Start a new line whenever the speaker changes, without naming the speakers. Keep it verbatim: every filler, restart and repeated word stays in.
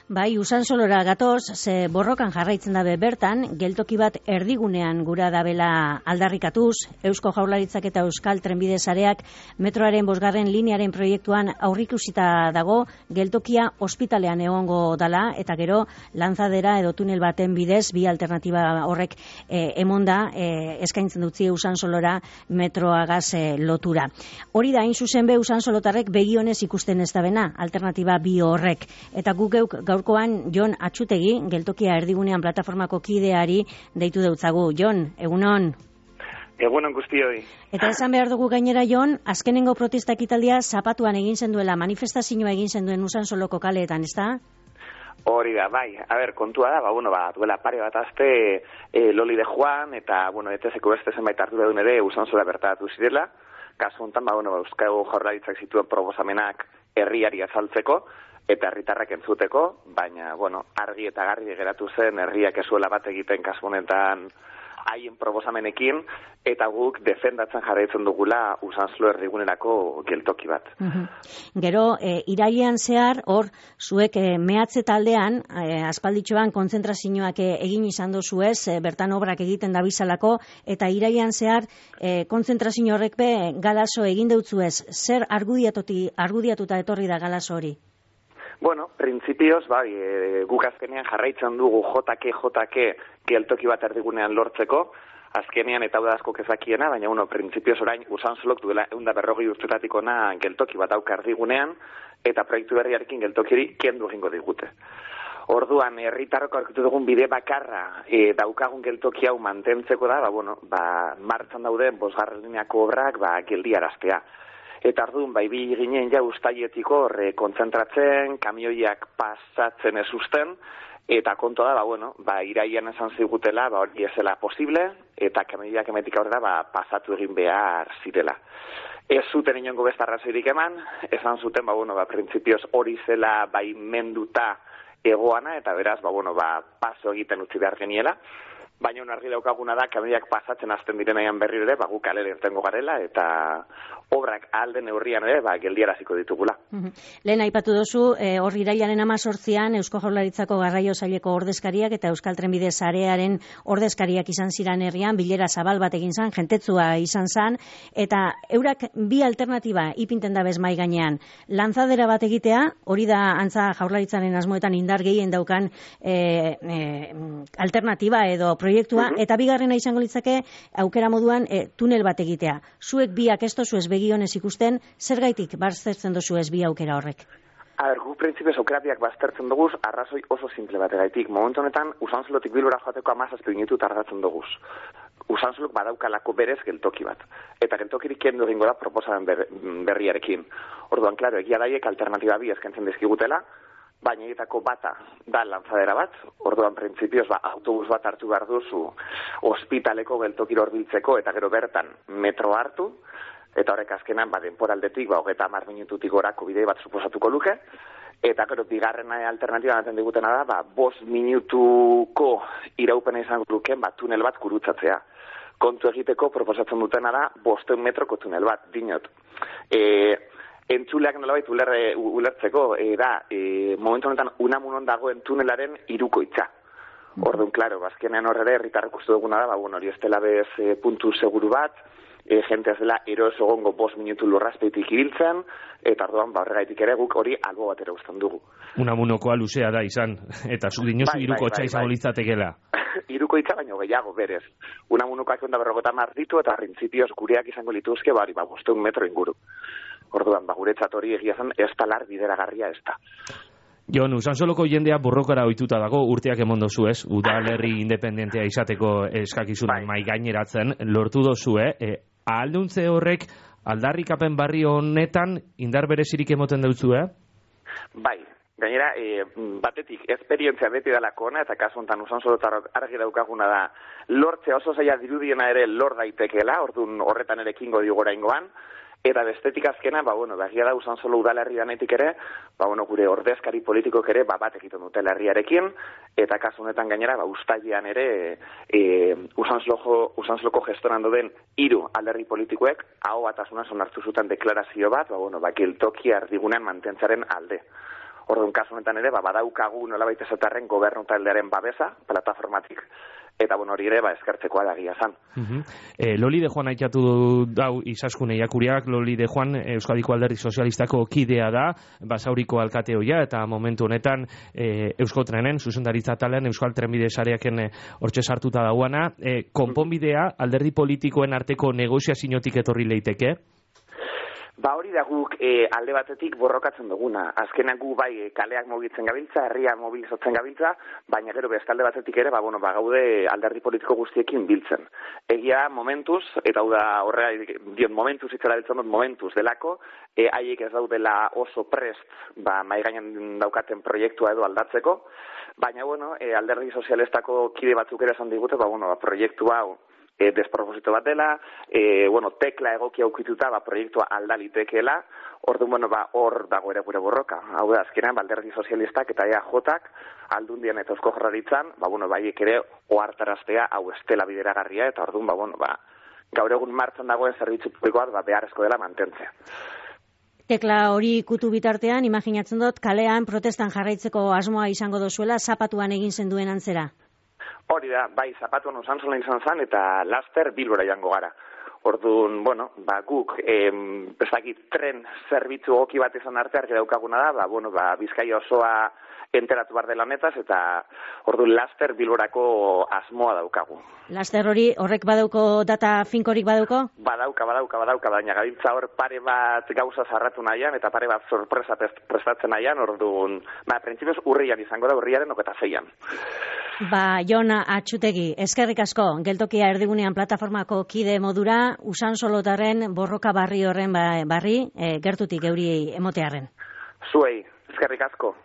Bai, Usansolora gatoz, ze borrokan jarraitzen dabe bertan, geltoki bat erdigunean gura dabela aldarrikatuz, Eusko Jaurlaritzak eta Euskal Trenbide Sareak metroaren bosgarren linearen proiektuan aurrikusita dago, geltokia ospitalean egongo dala, eta gero lanzadera edo tunel baten bidez, bi alternatiba horrek eh, emonda eh, eskaintzen dutzi Usansolora metroagaz eh, lotura. Hori da, hain zuzen be Usansolotarrek begionez ikusten ez dabena, alternatiba bi horrek, eta guk geuk gaurkoan Jon Atxutegi, geltokia erdigunean plataformako kideari deitu deutzagu. Jon, egunon?
Egunon guztioi.
Eta esan behar dugu gainera, Jon, azkenengo protesta ekitaldia zapatuan egin zenduela, manifestazioa egin zenduen Usansoloko kaleetan, ez da?
Hori da, bai. A ber, kontua da, ba, bueno, ba, duela pare bat azte e, Loli de Juan eta, bueno, etezeko beste zenbait ardura duen ere Usansola bertatu zirela. Kasu honetan, ba, bueno, ba, Euskal Jaurlaritzak zituen proposamenak herriari azaltzeko, eta herritarrak entzuteko, baina, bueno, argi eta garbi geratu zen herriak ezuela bat egiten kasu honetan haien proposamenekin, eta guk defendatzen jarraitzen dugula Usansolo erdigunerako geltoki bat.
Uhum. Gero, e, irailean zehar, hor, zuek e, mehatze taldean, e, aspalditxoan kontzentrazioak e, egin izan dozuez, e, bertan obrak egiten dabizalako, eta irailean zehar, e, kontzentrazio horrek be, galazo egin deutzuez, zer argudiatuta etorri da galazo hori?
Bueno, printzipioz, bai, e, guk azkenean jarraitzen dugu jotake, jotake geltoki bat erdigunean lortzeko, azkenean eta hau da asko kezakiena, baina, bueno, printzipioz orain Usansolok duela eunda berrogei urtetatik ona geltoki bat dauka erdigunean, eta proiektu berriarekin geltokiri kendu egingo digute. Orduan, herritarrok aurkitu dugun bide bakarra e, daukagun geltoki hau mantentzeko da, ba, bueno, ba, martxan dauden bosgarren lineako obrak, ba, geldiaraztea. Eta ardun, bai bi ginen ja ustaietiko horre kontzentratzen, kamioiak pasatzen ez usten, eta konto da, ba, bueno, ba, iraian esan zigutela, ba, hori ezela posible, eta kamioiak emetik aurrera, ba, pasatu egin behar zirela. Ez zuten inongo beste arrazoirik eman, esan zuten, ba, bueno, ba, printzipioz hori zela bai menduta egoana, eta beraz, ba, bueno, ba, paso egiten utzi behar geniela. Baina un argi daukaguna da, kamioiak pasatzen hasten direnaian berri ere, ba, guk kalera irtengo garela, eta obrak alden neurrian ere, ba, geldiaraziko ditugula.
Uhum. Lehen aipatu dozu, e, hor irailaren hamazortzian Eusko Jaurlaritzako Garraio Saileko ordezkariak eta Euskal Trenbide Sarearen ordezkariak izan ziran herrian, bilera zabal bat egin zan, jentetzua izan zan, eta eurak bi alternatiba ipinten da bez mai gainean. Lanzadera bat egitea, hori da antza Jaurlaritzaren asmoetan indar gehien daukan e, e, alternatiba edo proiektua, eta bigarrena izango litzake aukera moduan e, tunel bat egitea. Zuek biak ez dozu ez begionez ikusten, zergaitik baztertzen dozu ez bi aukera horrek?
A ber, gu printzipioz aukera biak baztertzen duguz, arrazoi oso simple bategaitik. Momentu honetan, Usansolotik Bilbora joateko hamazazpi minutu tardatzen duguz. Usansolok badaukalako berez geltoki bat. Eta geltokirik kendu egingo da proposamen ber, berriarekin. Orduan, klaro, egia daiek alternatiba bi eskentzen dizkigutela, baina egitako bata da lanzadera bat, orduan printzipioz ba, autobus bat hartu behar duzu ospitaleko geltokiro horbiltzeko eta gero bertan metro hartu, eta horrek azkenan ba, denporaldetik ba, hogeita hamar minututik gorako bidei bat suposatuko luke, eta gero bigarrena alternatiba ematen digutena da, ba, bost minutuko iraupena izango luken ba, tunel bat gurutzatzea. Kontu egiteko proposatzen dutena da bosteun metroko tunel bat, dinot. E, Entzuleak nolabait ulerre, ulertzeko, e, da, e, momentu honetan Unamunon dagoen tunelaren hirukoitza. Orduan, klaro, bazkenean horre ere, herritarrek uste duguna da, ba, bueno, hori ez dela bez e, puntu seguru bat, e, jente ez dela eroz egongo bost minutu lurrazpeitik ibiltzen, eta orduan, ba, horregaitik ere guk hori albo batera usten dugu.
Unamunokoa luzea da izan, eta zu dinozu bai, hirukotxa bai, bai, izango bai. Litzatekela.
Hirukoitza baino gehiago, berez. Unamunokoak onda berrogota mar ditu, eta printzipioz gureak izango lituzke, bari, ba, bosteun metro inguru. Orduan, ba, guretzat hori egia zen, ez talar bideragarria ez da.
Jon, Usansoloko jendea borrokara ohituta dago, urteak emon dozu ez, udalerri independentea izateko eskakizunan mai gaineratzen, lortu dozu, eh? E, ahalduntze horrek aldarrikapen barri honetan indar berezirik emoten dutzu, eh?
Bai, gainera, e, batetik, esperientzia beti dalako ona, eta kasu honetan Usansolotarrok argi daukaguna da, lortzea oso zaila dirudiena ere lor daitekeela, orduan horretan ere ekingo dio goraingoan, eta bestetik azkena, ba, bueno, begia da Usansolo udalerri danetik ere, ba, bueno, gure ordezkari politikok ere, ba, bat egiten dute herriarekin, eta kasu honetan gainera, ba, ustailean ere, e, Usansoloko, Usansoloko gestoran doden hiru alderri politikoek, aho batasunan onartu zuten deklarazio bat, ba, bueno, ba, geltokia erdigunean mantentzaren alde. Orduan, kasu honetan ere, ba, badaukagu nolabait esatarren gobernu taldearen babesa, plataformatik, eta bueno, hori ere, ba, eskertzekoa da egia esan.
Uh-huh. eh, Loli de Juan aitatu dau Izaskun Eiakuriak, Loli de Juan Euskadiko Alderdi Sozialistako kidea da, Basauriko alkate ohia, eta momentu honetan eh, Euskotrenen, zuzendaritza talean, Euskal Trenbide sareaken eh, hortxe sartuta dauana. Eh, konponbidea, alderdi politikoen arteko negoziaziotik etorri leiteke?
Ba hori da guk e, alde batetik borrokatzen duguna. Azkenak gu bai e, kaleak mugitzen gabiltza, herria mobilizatzen gabiltza, baina gero beste alde batetik ere, ba, bueno, ba, gaude alderdi politiko guztiekin biltzen. Egia momentuz, eta hau da horrela dion momentuz itzela biltzen dut momentuz delako, e, haiek ez daudela oso prest ba, maigainen daukaten proiektua edo aldatzeko, baina bueno, e, alderdi sozialistako kide batzuk ere esan digute, ba, bueno, ba, proiektua hau, E, desproposito bat dela, e, bueno, tekla egokia aukituta, ba, proiektua aldalitekeela, orduan, bueno, ba, hor dago ere gure borroka. Hau da, azkenean, alderdi sozialistak eta E A Jotak, aldundian eta Eusko Jaurlaritzan, ba, bueno, baiek ere ohartaraztea hau estela bideragarria, eta orduan, ba, bueno, ba, gaur egun martxan dagoen zerbitzu publikoa, ba, beharrezko dela mantentzea.
Tekla hori kutu bitartean, imaginatzen dut, kalean protestan jarraitzeko asmoa izango dozuela, zapatuan egin zenduen antzera.
Hori da, bai, zapatuan Usansola izan zen, eta laster Bilbora jango gara. Orduan, bueno, ba, guk, em, bezakit, tren zerbitzu goki bat izan arte argi daukaguna da, ba, bueno, ba, Bizkaia osoa enteratu behar dela honetaz, eta orduan laster Bilborako asmoa daukagu.
Laster hori, horrek badauko data finkorik badauko?
Badauka, badauka, badauka, baina gabiltza hor pare bat gauza zarratu nahian, eta pare bat sorpresa prestatzen nahian, orduan, ba, printzipioz urrian izango da, urriaren oketa zeian.
Ba, Jon Atxutegi, eskerrik asko, geltokia erdigunean plataformako kide modura, Usansolotarren borroka barri horren ba, barri, e, gertutik euri emotearren.
Zuei, eskerrik asko.